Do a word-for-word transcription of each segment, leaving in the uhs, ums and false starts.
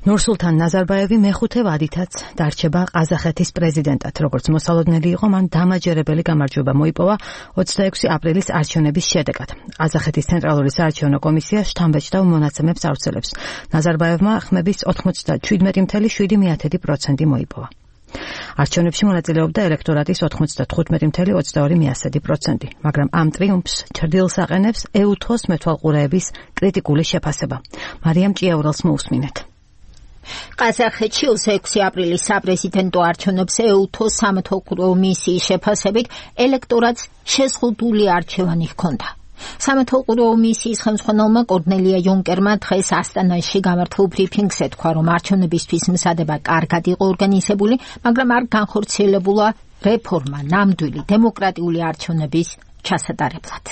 ნურსულთან ნაზარბაევი მეხუთე ვადითაც დარჩება ყაზახეთის პრეზიდენტად. როგორც მოსალოდნელი იყო, მან დამაჯერებელი გამარჯვება მოიპოვა ოცდაექვსი აპრილის არჩევნების შედეგად. ყაზახეთის ცენტრალური საარჩევნო კომისია შთამბეჭდავ მონაცემებს ავრცელებს. ნაზარბაევმა ხმების ოცდაშვიდი წუთი შვიდი პროცენტი მოიპოვა. არჩევნებში მონაწილეობდა ელექტორატის ოცდათხუთმეტი წუთი ოცდაორი პროცენტი, მაგრამ ამ ტრიუმფს ჩრდილს აყენებს ეუთოს მეთვალყურეების კრიტიკული შეფასება. მარიამ ჭიაურელს მოусმინეთ. ყაზახეთში ოცდაექვსი აპრილის საპრეზიდენტო არჩევნებზე ეუთოს სამეთვალყურეო მისიის შეფასებით ელექტორატს შეზღუდული არჩევანი ჰქონდა. სამეთვალყურეო მისიის ხელმძღვანელმა კორნელია იუნკერმა დღეს ასტანაში გამართულ ბრიფინგზე თქვა, რომ არჩევნებისთვის მზადება კარგად იყო ორგანიზებული, მაგრამ არ განხორციელებულა რეფორმა ნამდვილი დემოკრატიული არჩევნების ჩასატარებლად.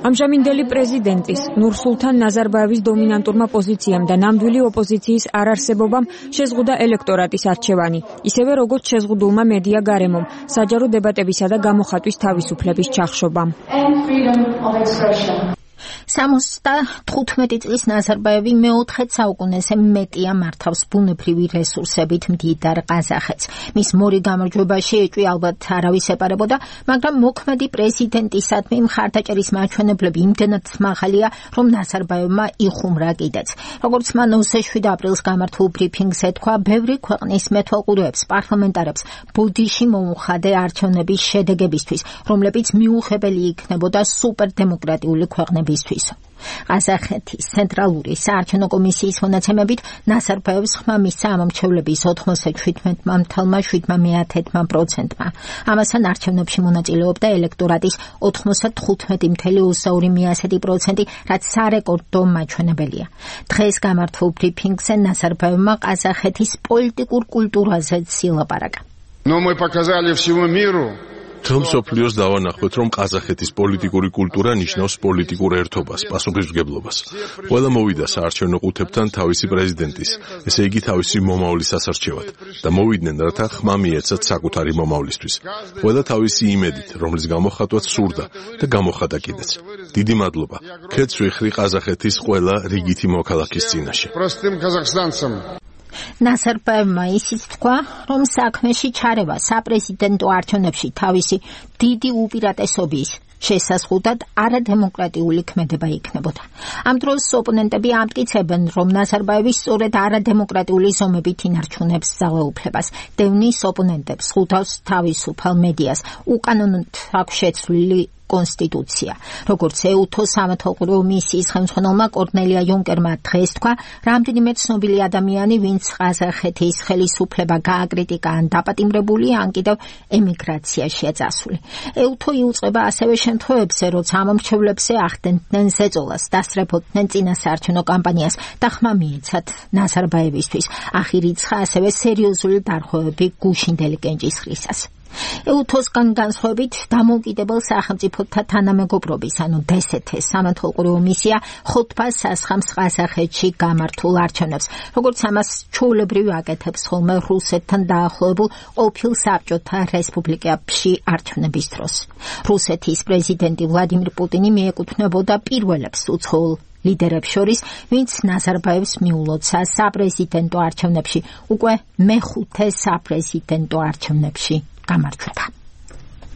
ამჟამინდელი პრეზიდენტის ნურსულთან ნაზარბაევის დომინანტურმა პოზიციამ და ნამდვილი ოპოზიციის არარსებობამ შეზღუდა ელექტორატის არჩევანი, ისევე როგორც შეზღუდულმა მედია გარემომ, საჯარო დებატებისა და გამოხატვის თავისუფლების ჩახშობამ. სამოცდათხუთმეტი წლის ნაზარბაევი მეოთხე საუკუნეზე მეტია მართავს ბუნებრივი რესურსებით მდიდარ ყაზახეთს. მის მორი გამარჯვება შეეჭვი ალბათ არავის ეპარებოდა, მაგრამ მოქმედი პრეზიდენტისადმი მხარდაჭერის მაჩვენებლები იმდენად მაღალია, რომ ნაზარბაევმა იხუმრა კიდეც. როგორც მან ოცდაშვიდი აპრილს გამართულ ბრიფინგზე თქვა, ბევრი ქვეყნის მეთვალყურეებს, პარლამენტარებს ბოდიში მოუხადე არჩევნების შედეგებისთვის, რომლებიც მიუღებელი იქნებოდა სუპერდემოკრატიული ქვეყნებისთვის. ყაზახეთის ცენტრალური საარჩევნო კომისიის მონაცემებით ნაზარბაევს ხმა მისცა ამომრჩევლების ოცდაშვიდ შვიდ პროცენტმა. ამასთან არჩევნებში მონაწილეობდა ელექტორატის ოცდათხუთმეტი ოცდაორი პროცენტი, რაც სარეკორდო მაჩვენებელია. დღეს გამართულ ბრიფინგზე ნაზარბაევმა ყაზახეთის პოლიტიკურ კულტურაზე ილაპარაკა. Но мы показали всему миру. Თელ მსოფლიოს დავანახოთ, რომ ყაზახეთის პოლიტიკური კულტურა ნიშნავს პოლიტიკურ ერთობას, პასუხისმგებლობას. ყველა მოვიდა საარჩევნო ყუთებთან თავისი პრეზიდენტის, ესე იგი თავისი მომავლის ასარჩევად და მოვიდნენ, რათა ხმა მიეცათ საკუთარი მომავლისთვის. ყველა თავისი იმედით, რომლის გამოხატვაც სურდა და გამოხატა კიდეც. დიდი მადლობა. ქეთს ვიხრი ყაზახეთის ყველა რიგითი მოქალაქის წინაშე. ნაზარბაევმა ისიც თქვა, რომ საქმეში ჩარევა საპრეზიდენტო არჩევნებში თავისი დიდი უპირატესობის შესაზღუდად არადემოკრატიული ქმედება იქნებოდა. ამ დროს ოპონენტები ამტკიცებენ, რომ ნაზარბაევი სწორედ არადემოკრატიული ზომებით ინარჩუნებს ძალაუფლებას. დევნის ოპონენტებს ხუთავს თავისუფალ მედიას, უკანონოდ აქვს შეცვლილი კონსტიტუცია. როგორც ეუთოს სამეთვალყურეო მისიის ხელმძღვანელმა კორნელია იუნკერმა დღეს თქვა, რამდენიმე ცნობილი ადამიანი, ვინც ყაზახეთის ხელისუფლება გააკრიტიკა ან დაპატიმრებული, ან კიდევ ემიგრაციაშია წასული. ეუთო იუწყება ასევე შემთხვევებზე, როცა ამომრჩევლებზე ახდენდნენ ზეწოლას, დასწრებოდნენ წინასაარჩევნო კამპანიას და ხმა მიეცათ ნაზარბაევისთვის. ახირიცხა ასევე სერიოზული დარღვევები გუშინდელი კენჭისყრისას. ეუთოსგან განსხვავებით დამოუკიდებელ სახელმწიფოთა თანამეგობრობის, ანუ დე ეს თ-ის სამეთვალყურეო მისია ხუთბას სასხამს ყაზახეთში გამართულ არჩევნებს, როგორც ამას ჩვეულებრივ აკეთებს ხოლმე რუსეთთან დაახლოებულ ყოფილ საბჭოთა რესპუბლიკებში არჩევნების დროს. რუსეთის პრეზიდენტი ვლადიმირ პუტინი მიეკუთვნებოდა პირველებს უცხოელ ლიდერებს შორის, ვინც ნაზარბაევს მიულოცა საპრეზიდენტო არჩევნებში, უკვე მეხუთე საპრეზიდენტო არჩევნებში გამარჯვება.